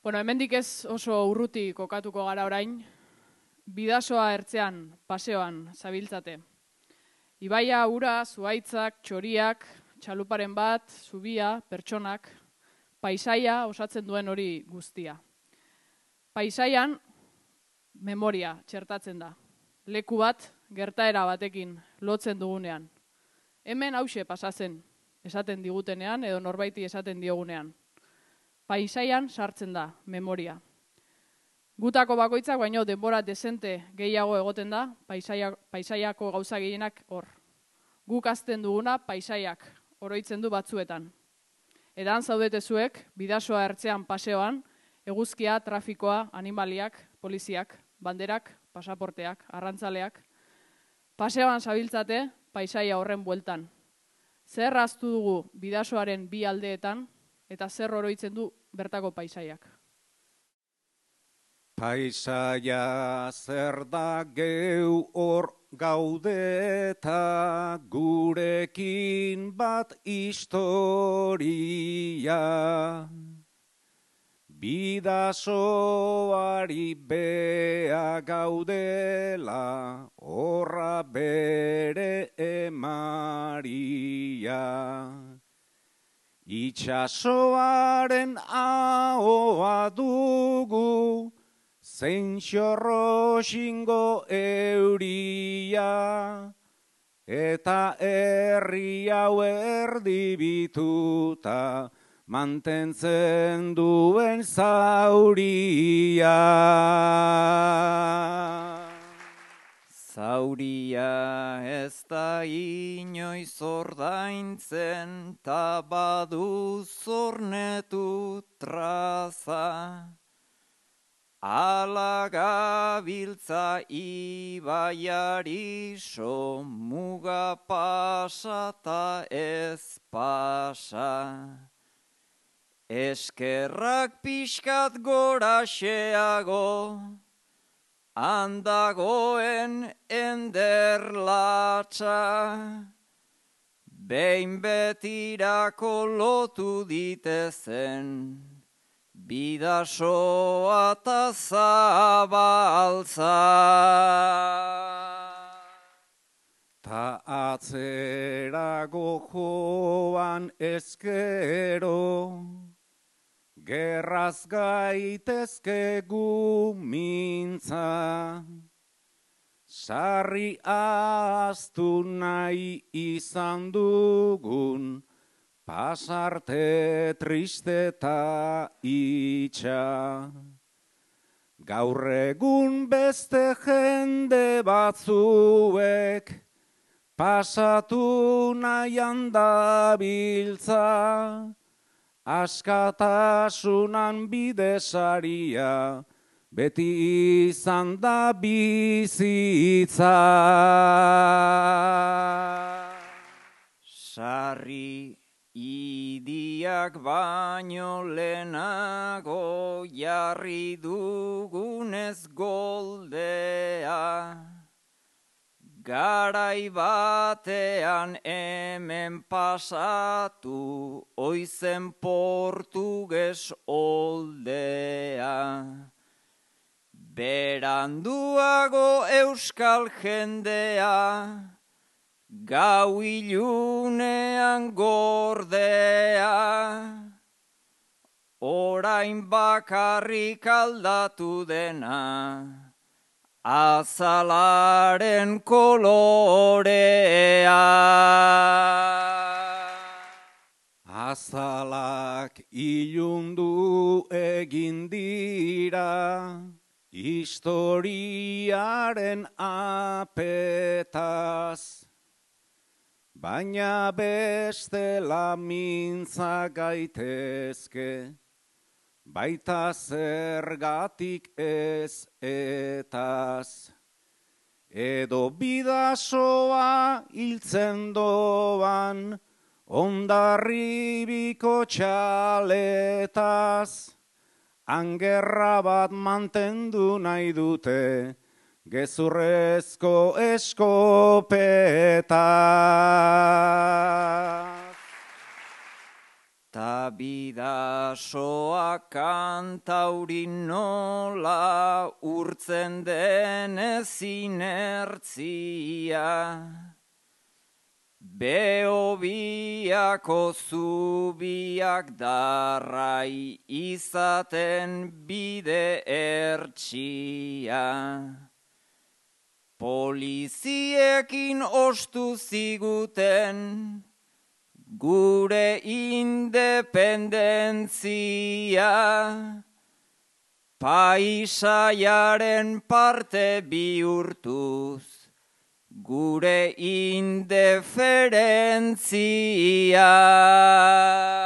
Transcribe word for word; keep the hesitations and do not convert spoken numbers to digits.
Bueno, hemendik ez oso urruti kokatuko gara orain, bidasoa ertzean, paseoan, zabiltzate. Ibaia, ura, zuhaitzak, txoriak, txaluparen bat, zubia, pertsonak, paisaia osatzen duen hori guztia. Paisaian, memoria txertatzen da. Leku bat, gertaera batekin lotzen dugunean. Hemen hause pasatzen, esaten digutenean edo norbaiti esaten diogunean. Paisaian sartzen da, memoria. Gutako bakoitzak baino denbora dezente gehiago egoten da, paisaia, paisaiako gauza gehienak hor. Guk azten duguna paisaiak oroitzen du batzuetan. Edan zaudete zuek, bidasoa ertzean paseoan, eguzkia, trafikoa, animaliak, poliziak, banderak, pasaporteak, arrantzaleak. Paseoan zabiltzate, paisaia horren bueltan. Zer ahaztu dugu bidasoaren bi aldeetan, eta zer oroitzen du bertako paisaiak. Paisaia zer da geu hor gaudeta, gurekin bat historia. Bidasoari bea gaudela, horra bere emaria. Itxasoaren ahoa dugu, zein xorroxingo euria, eta herri hau erdibituta, mantentzen duen zauria. Zauria ez da inoiz ordaintzen, ta badu zornetu traza. Ala gabiltza ibaiari so, muga pasa ta ez pasa. Eskerrak pixkat goraxeago, handagoen enderlatxa, behin betirako lotu ditezen, bidasoa ta zabaltza. Ta atzerago joan ezkero, gerraz gaitezke gu mintza. Sarri ahaztu nahi izan dugun, pasarte triste eta itxa. Gaur egun beste jende batzuek, pasatu nahian dabiltza, askatasunan bidesaria, beti izan da bizitza. Sarri idiak baino lehenago jarri dugunez goldea. Garai batean hemen pasatu, oizen portuges oldea. Beranduago euskal jendea, gau ilunean gordea. Orain bakarrik aldatu dena, azalaren kolorea. Azalak ilundu egin dira, historiaren apetaz. Baina bestela mintza gaitezke, baita zergatik ez etaz. Edo bidasoa hiltzen doan, ondarribiko txaletaz. Angerra bat mantendu nahi dute, gezurrezko eskopeta. ta bidasoa kantaurin nola urtzen denez inertzia. Behobiako zubiak darrai izaten bide ertsia. Poliziekin ostu ziguten gure independentzia. Paisaiaren parte bihurtuz gure indiferentzia.